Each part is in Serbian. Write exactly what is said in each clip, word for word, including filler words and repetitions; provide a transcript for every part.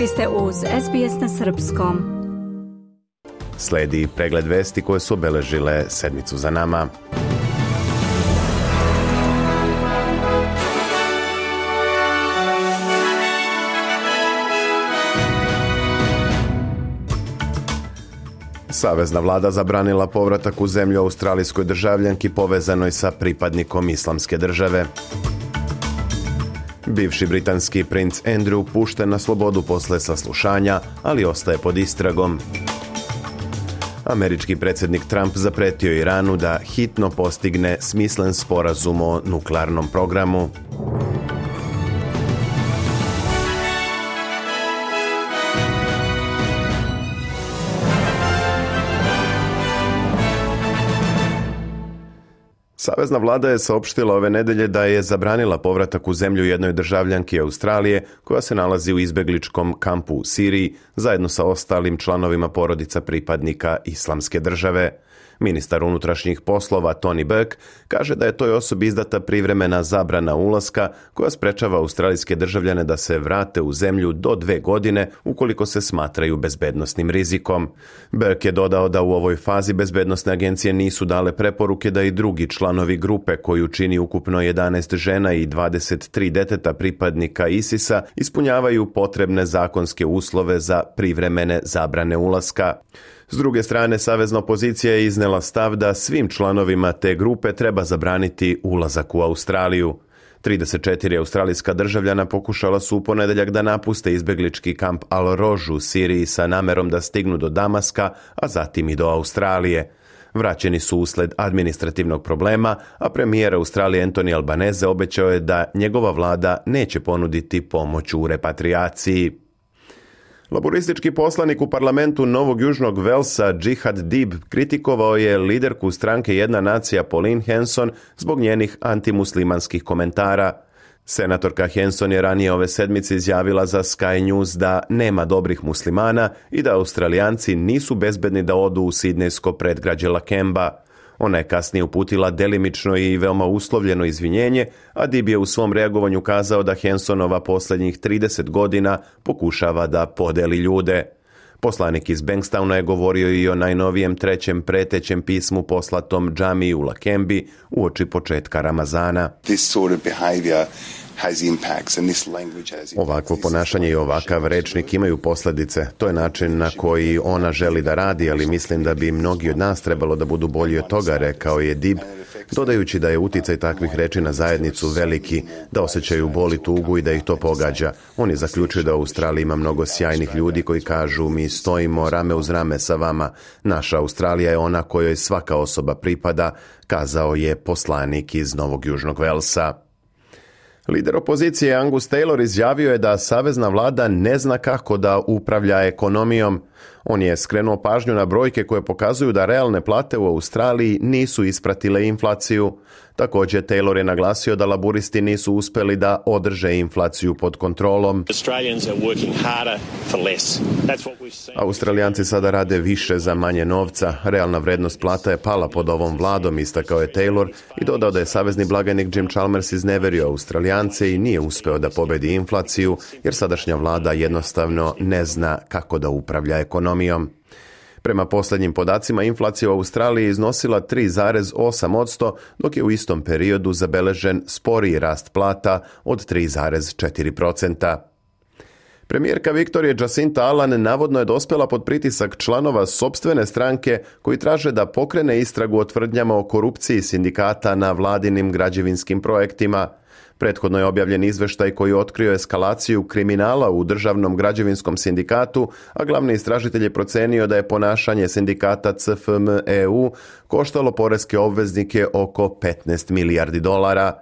Vi ste uz S B S na srpskom. Sledi pregled vesti koje su obeležile sedmicu za nama. Savezna vlada zabranila povratak u zemlju australijskoj državljanki povezanoj sa pripadnikom Islamske države. Bivši britanski princ Andrew pušten na slobodu posle saslušanja, ali ostaje pod istragom. Američki predsjednik Trump zapretio Iranu da hitno postigne smislen sporazum o nuklearnom programu. Savezna vlada je saopštila ove nedelje da je zabranila povratak u zemlju jednoj državljanki Australije koja se nalazi u izbegličkom kampu u Siriji zajedno sa ostalim članovima porodica pripadnika Islamske države. Ministar unutrašnjih poslova Tony Burke kaže da je toj osobi izdata privremena zabrana ulaska koja sprečava australijske državljane da se vrate u zemlju do dve godine ukoliko se smatraju bezbednosnim rizikom. Burke je dodao da u ovoj fazi bezbednosne agencije nisu dale preporuke da i drugi članovi grupe koju čini ukupno jedanaest žena i dvadeset tri deteta pripadnika ISIS-a ispunjavaju potrebne zakonske uslove za privremene zabrane ulaska. S druge strane, savezna opozicija je iznela stav da svim članovima te grupe treba zabraniti ulazak u Australiju. trideset četiri australijska državljana pokušala su u ponedeljak da napuste izbeglički kamp Al-Roj u Siriji sa namerom da stignu do Damaska, a zatim i do Australije. Vraćeni su usled administrativnog problema, a premijer Australije Anthony Albanese obećao je da njegova vlada neće ponuditi pomoć u repatriaciji. Laboristički poslanik u parlamentu Novog Južnog Velsa Jihad Dib kritikovao je liderku stranke Jedna nacija Pauline Hanson zbog njenih antimuslimanskih komentara. Senatorka Hanson je ranije ove sedmice izjavila za Sky News da nema dobrih muslimana i da Australijanci nisu bezbedni da odu u sidnejsko predgrađe Lakemba. Ona je kasnije uputila delimično i veoma uslovljeno izvinjenje, a Dib je u svom reagovanju kazao da Hansonova posljednjih trideset godina pokušava da podeli ljude. Poslanik iz Bankstowna je govorio i o najnovijem trećem pretećem pismu poslatom džamiji u Lakembi uoči početka Ramazana. This sort of behavior Ovakvo ponašanje i ovakav rečnik imaju posljedice. To je način na koji ona želi da radi, ali mislim da bi mnogi od nas trebalo da budu bolji od toga, rekao je Dib, dodajući da je uticaj takvih reči na zajednicu veliki, da osjećaju bol i tugu i da ih to pogađa. On je zaključio da u Australiji ima mnogo sjajnih ljudi koji kažu mi stojimo rame uz rame sa vama. Naša Australija je ona kojoj svaka osoba pripada, kazao je poslanik iz Novog Južnog Velsa. Lider opozicije Angus Taylor izjavio je da savezna vlada ne zna kako da upravlja ekonomijom. On je skrenuo pažnju na brojke koje pokazuju da realne plate u Australiji nisu ispratile inflaciju. Također, Taylor je naglasio da laburisti nisu uspjeli da održe inflaciju pod kontrolom. Australijanci sada rade više za manje novca. Realna vrednost plata je pala pod ovom vladom, istakao je Taylor i dodao da je savezni blagajnik Jim Chalmers izneverio Australijance i nije uspeo da pobedi inflaciju, jer sadašnja vlada jednostavno ne zna kako da upravlja ekonomijom. Prema posljednjim podacima, inflacija u Australiji iznosila tri zarez osam posto, dok je u istom periodu zabeležen sporiji rast plata od tri zarez četiri posto. Premijerka Viktorije Jacinta Allan navodno je dospjela pod pritisak članova sopstvene stranke koji traže da pokrene istragu o tvrdnjama o korupciji sindikata na vladinim građevinskim projektima. Prethodno je objavljen izveštaj koji otkrio eskalaciju kriminala u državnom građevinskom sindikatu, a glavni istražitelj je procenio da je ponašanje sindikata C F M E U koštalo poreske obveznike oko petnaest milijardi dolara.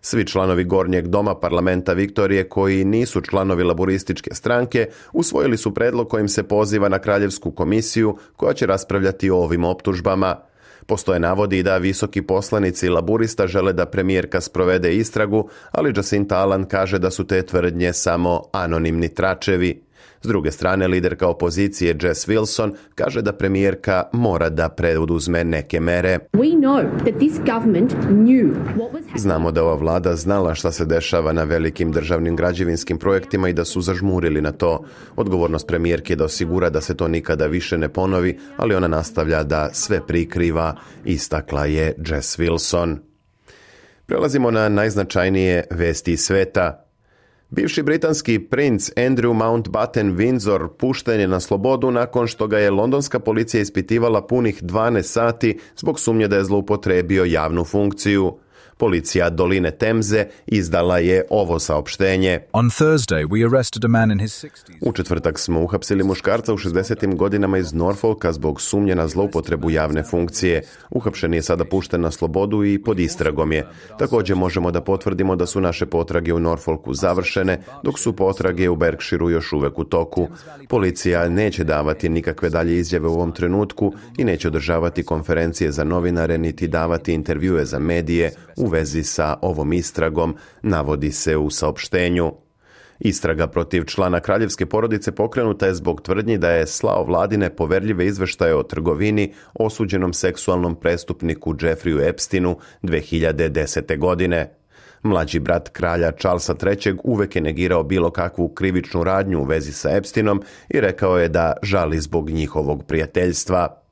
Svi članovi Gornjeg doma parlamenta Viktorije koji nisu članovi laborističke stranke usvojili su predlog kojim se poziva na kraljevsku komisiju koja će raspravljati o ovim optužbama. Postoje navodi da visoki poslanici laburista žele da premijerka sprovede istragu, ali Jacinta Allan kaže da su te tvrdnje samo anonimni tračevi. S druge strane, liderka opozicije Jess Wilson kaže da premijerka mora da preuzme neke mere. Znamo da ova vlada znala šta se dešava na velikim državnim građevinskim projektima i da su zažmurili na to. Odgovornost premijerke je da osigura da se to nikada više ne ponovi, ali ona nastavlja da sve prikriva, istakla je Jess Wilson. Prelazimo na najznačajnije vesti iz sveta. Bivši britanski princ Andrew Mountbatten Windsor pušten je na slobodu nakon što ga je londonska policija ispitivala punih dvanaest sati zbog sumnje da je zloupotrebio javnu funkciju. Policija Doline Temze izdala je ovo saopštenje. On Thursday we arrested a man in his sixties. U četvrtak smo uhapsili muškarca u šezdesetim godinama iz Norfolka zbog sumnje na zloupotrebu javne funkcije. Uhapšen je sada pušten na slobodu i pod istragom je. Također možemo da potvrdimo da su naše potrage u Norfolku završene, dok su potrage u Berkshireu još uvek u toku. Policija neće davati nikakve dalje izjave u ovom trenutku i neće održavati konferencije za novinare niti davati intervjue za medije u vezi sa ovom istragom, navodi se u saopštenju. Istraga protiv člana kraljevske porodice pokrenuta je zbog tvrdnji da je slao vladine poverljive izveštaje o trgovini osuđenom seksualnom prestupniku Jeffreyu Epsteinu dve hiljade desete. godine. Mlađi brat kralja Charlesa trećeg uvek je negirao bilo kakvu krivičnu radnju u vezi sa Epsteinom i rekao je da žali zbog njihovog prijateljstva.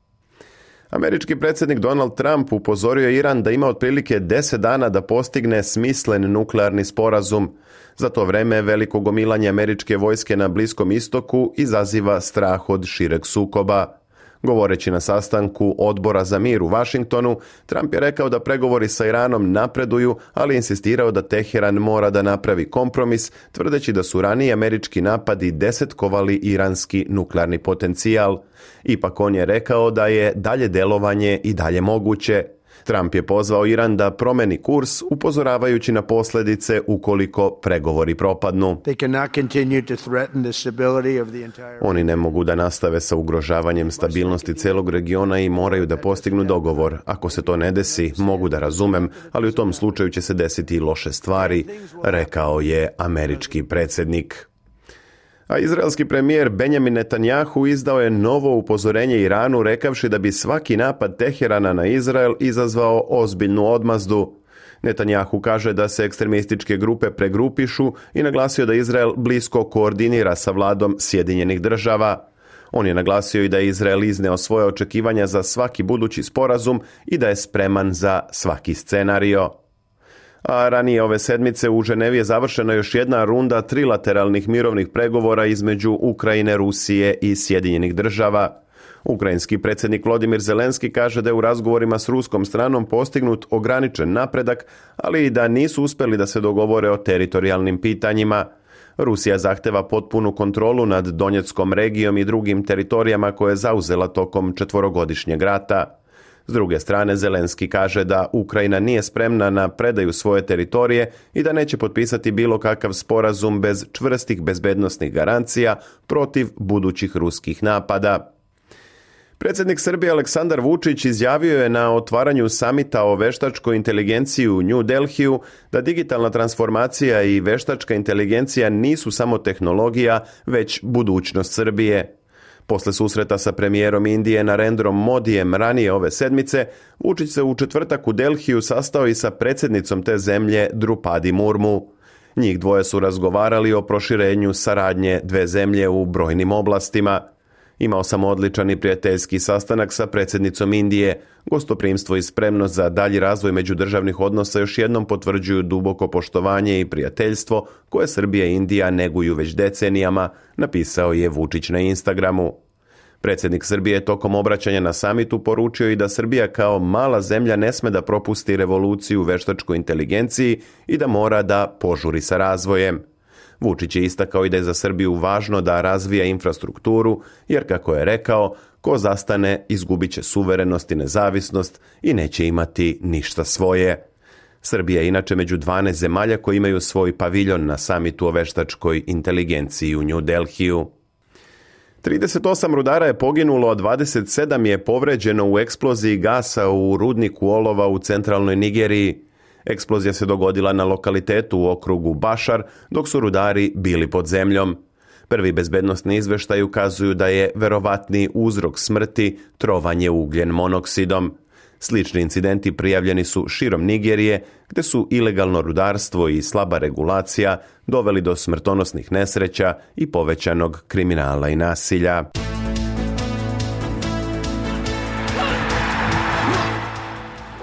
Američki predsjednik Donald Trump upozorio Iran da ima otprilike deset dana da postigne smislen nuklearni sporazum. Za to vreme veliko gomilanje američke vojske na Bliskom istoku izaziva strah od šireg sukoba. Govoreći na sastanku Odbora za mir u Vašingtonu, Trump je rekao da pregovori sa Iranom napreduju, ali insistirao da Teheran mora da napravi kompromis, tvrdeći da su raniji američki napadi desetkovali iranski nuklearni potencijal. Ipak on je rekao da je dalje delovanje i dalje moguće. Trump je pozvao Iran da promeni kurs, upozoravajući na posljedice ukoliko pregovori propadnu. Oni ne mogu da nastave sa ugrožavanjem stabilnosti celog regiona i moraju da postignu dogovor. Ako se to ne desi, mogu da razumem, ali u tom slučaju će se desiti i loše stvari, rekao je američki predsjednik. A izraelski premijer Benjamin Netanjahu izdao je novo upozorenje Iranu rekavši da bi svaki napad Teherana na Izrael izazvao ozbiljnu odmazdu. Netanjahu kaže da se ekstremističke grupe pregrupišu i naglasio da Izrael blisko koordinira sa vladom Sjedinjenih država. On je naglasio i da je Izrael izneo svoje očekivanja za svaki budući sporazum i da je spreman za svaki scenario. A ranije ove sedmice u Ženevi je završena još jedna runda trilateralnih mirovnih pregovora između Ukrajine, Rusije i Sjedinjenih država. Ukrajinski predsjednik Volodymyr Zelenski kaže da je u razgovorima s ruskom stranom postignut ograničen napredak, ali i da nisu uspjeli da se dogovore o teritorijalnim pitanjima. Rusija zahteva potpunu kontrolu nad Donjeckom regijom i drugim teritorijama koje je zauzela tokom četvorogodišnjeg rata. S druge strane, Zelenski kaže da Ukrajina nije spremna na predaju svoje teritorije i da neće potpisati bilo kakav sporazum bez čvrstih bezbednosnih garancija protiv budućih ruskih napada. Predsjednik Srbije Aleksandar Vučić izjavio je na otvaranju samita o veštačkoj inteligenciji u New Delhiju da digitalna transformacija i veštačka inteligencija nisu samo tehnologija, već budućnost Srbije. Posle susreta sa premijerom Indije Narendrom Modijem ranije ove sedmice, Vučić se u četvrtak u Delhiju sastao i sa predsjednicom te zemlje Drupadi Murmu. Njih dvoje su razgovarali o proširenju saradnje dve zemlje u brojnim oblastima. Imao sam odličan i prijateljski sastanak sa predsjednicom Indije. Gostoprimstvo i spremnost za dalji razvoj međudržavnih odnosa još jednom potvrđuju duboko poštovanje i prijateljstvo koje Srbija i Indija neguju već decenijama, napisao je Vučić na Instagramu. Predsjednik Srbije tokom obraćanja na samitu poručio i da Srbija kao mala zemlja ne sme da propusti revoluciju u veštačkoj inteligenciji i da mora da požuri sa razvojem. Vučić je istakao i da je za Srbiju važno da razvija infrastrukturu, jer kako je rekao, ko zastane izgubit će suverenost i nezavisnost i neće imati ništa svoje. Srbija je inače među dvanaest zemalja koji imaju svoj paviljon na samitu o veštačkoj inteligenciji u New Delhiju. trideset osam rudara je poginulo, a dvadeset sedam je povređeno u eksploziji gasa u rudniku olova u centralnoj Nigeriji. Eksplozija se dogodila na lokalitetu u okrugu Bašar, dok su rudari bili pod zemljom. Prvi bezbednosni izveštaji ukazuju da je verovatni uzrok smrti trovanje ugljen monoksidom. Slični incidenti prijavljeni su širom Nigerije, gde su ilegalno rudarstvo i slaba regulacija doveli do smrtonosnih nesreća i povećanog kriminala i nasilja.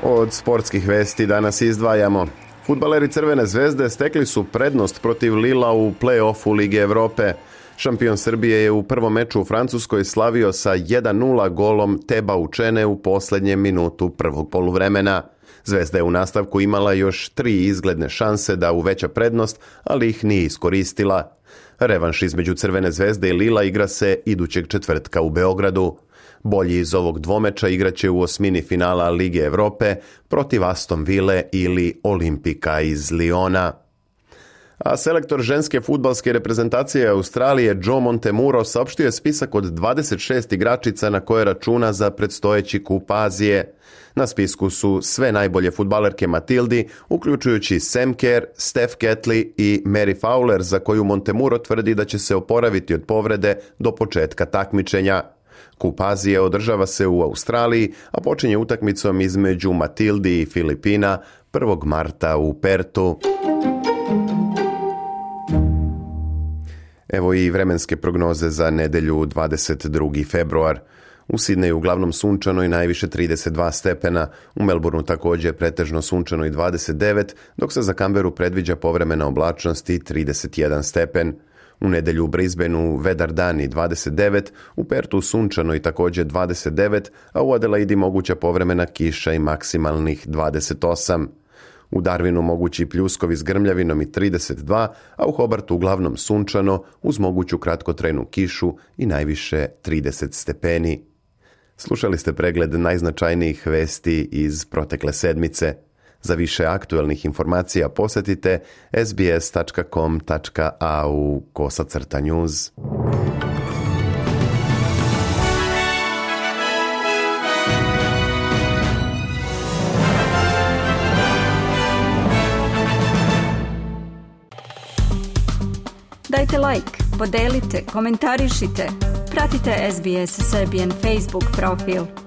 Od sportskih vesti danas izdvajamo. Fudbaleri Crvene zvezde stekli su prednost protiv Lila u play-offu Lige Evrope. Šampion Srbije je u prvom meču u Francuskoj slavio sa jedan nula golom Teba Učene u posljednjem minutu prvog poluvremena. Zvezda je u nastavku imala još tri izgledne šanse da uveća prednost, ali ih nije iskoristila. Revanš između Crvene zvezde i Lila igra se idućeg četvrtka u Beogradu. Bolji iz ovog dvomeča igraće u osmini finala Lige Evrope protiv Aston Ville ili Olimpika iz Liona. A selektor ženske fudbalske reprezentacije Australije Joe Montemuro saopštio je spisak od dvadeset šest igračica na koje računa za predstojeći kup Azije. Na spisku su sve najbolje fudbalerke Matildi, uključujući Sam Kerr, Steph Catley i Mary Fowler, za koju Montemuro tvrdi da će se oporaviti od povrede do početka takmičenja. Kup Azije održava se u Australiji, a počinje utakmicom između Matildi i Filipina prvog marta u Pertu. Evo i vremenske prognoze za nedelju dvadeset drugi februar. U Sidneju uglavnom sunčano i najviše trideset dva stepena, u Melbourneu također pretežno sunčano i dvadeset devet, dok se za Canberu predviđa povremena oblačnost i trideset jedan stepen. U nedelju u Brisbaneu vedar dan i dvadeset devet, u Pertu sunčano i također dvadeset devet, a u Adelaidi moguća povremena kiša i maksimalnih dvadeset osam. U Darwinu mogući pljuskovi s grmljavinom i trideset dva, a u Hobartu uglavnom sunčano uz moguću kratkotrajnu kišu i najviše trideset stepeni. Slušali ste pregled najznačajnijih vesti iz protekle sedmice. Za više aktuelnih informacija posjetite sbs.com.au kosacrta news. Dajte like, podelite, komentarišite. Pratite S B S Serbian Facebook profil.